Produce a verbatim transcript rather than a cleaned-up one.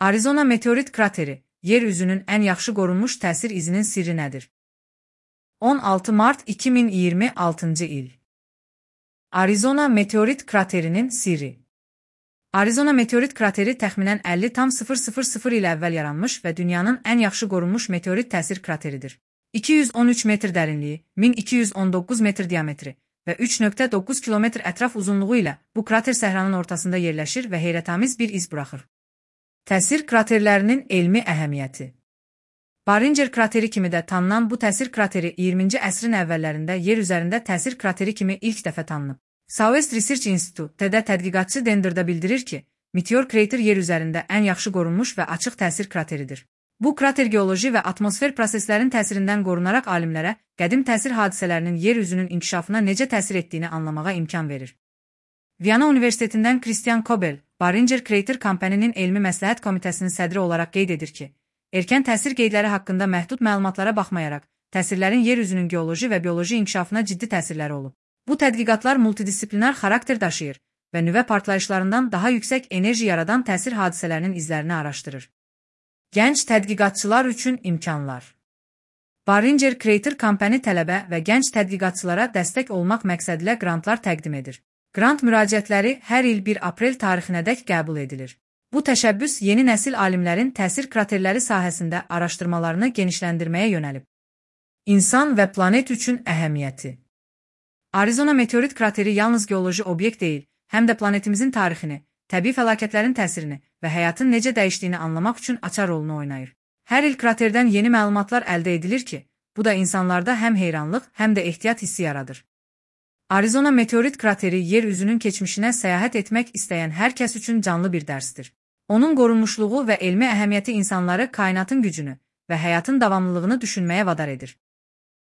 Arizona meteorit krateri, yer üzünün ən yaxşı qorunmuş təsir izinin sirri nədir? on altı mart iki min iyirmi altıncı il. Arizona meteorit kraterinin sirri. Arizona meteorit krateri təxminən əlli tam sıfır sıfır sıfır il əvvəl yaranmış və dünyanın ən yaxşı qorunmuş meteorit təsir krateridir. iki yüz on üç metr dərinliyi, min iki yüz on doqquz metr diametri və üç nöqtə doqquz kilometr ətraf uzunluğu ilə bu krater səhranın ortasında yerləşir və heyrətamiz bir iz buraxır. Təsir kraterlərinin elmi əhəmiyyəti. Barringer krateri kimi də tanınan bu təsir krateri iyirminci əsrin əvvəllərində yer üzərində təsir krateri kimi ilk dəfə tanınıb. Southwest Research Institute-də tədqiqatçı Dender'da bildirir ki, meteor krater yer üzərində ən yaxşı qorunmuş və açıq təsir krateridir. Bu krater geoloji və atmosfer proseslərin təsirindən qorunaraq alimlərə qədim təsir hadisələrinin yer üzünün inkişafına necə təsir etdiyini anlamağa imkan verir. Viyana Universitetindən Christian Kobel, Barringer Crater Company-nin elmi məsləhət komitəsinin sədri olaraq qeyd edir ki, erkən təsir qeydləri haqqında məhdud məlumatlara baxmayaraq, təsirlərin yer üzünün geoloji və bioloji inkişafına ciddi təsirləri olub. Bu tədqiqatlar multidisiplinar xarakter daşıyır və nüvə partlayışlarından daha yüksək enerji yaradan təsir hadisələrinin izlərini araşdırır. Gənc tədqiqatçılar üçün imkanlar. Barringer Crater Company tələbə və gənc tədqiqatçılara dəstək olmaq məqsədilə qrantlar təqdim edir. Qrant müraciətləri hər il bir aprel tarixinədək qəbul edilir. Bu təşəbbüs yeni nəsil alimlərin təsir kraterləri sahəsində araşdırmalarını genişləndirməyə yönəlib. İnsan və planet üçün əhəmiyyəti. Arizona meteorit krateri yalnız geoloji obyekt deyil, həm də planetimizin tarixini, təbii fəlakətlərin təsirini və həyatın necə dəyişdiyini anlamaq üçün açar rolunu oynayır. Hər il kraterdən yeni məlumatlar əldə edilir ki, bu da insanlarda həm heyranlıq, həm də ehtiyat hissi yaradır. Arizona meteorit krateri yer üzünün keçmişinə səyahət etmək istəyən hər kəs üçün canlı bir dərsdir. Onun qorunmuşluğu və elmi əhəmiyyəti insanları kainatın gücünü və həyatın davamlılığını düşünməyə vadar edir.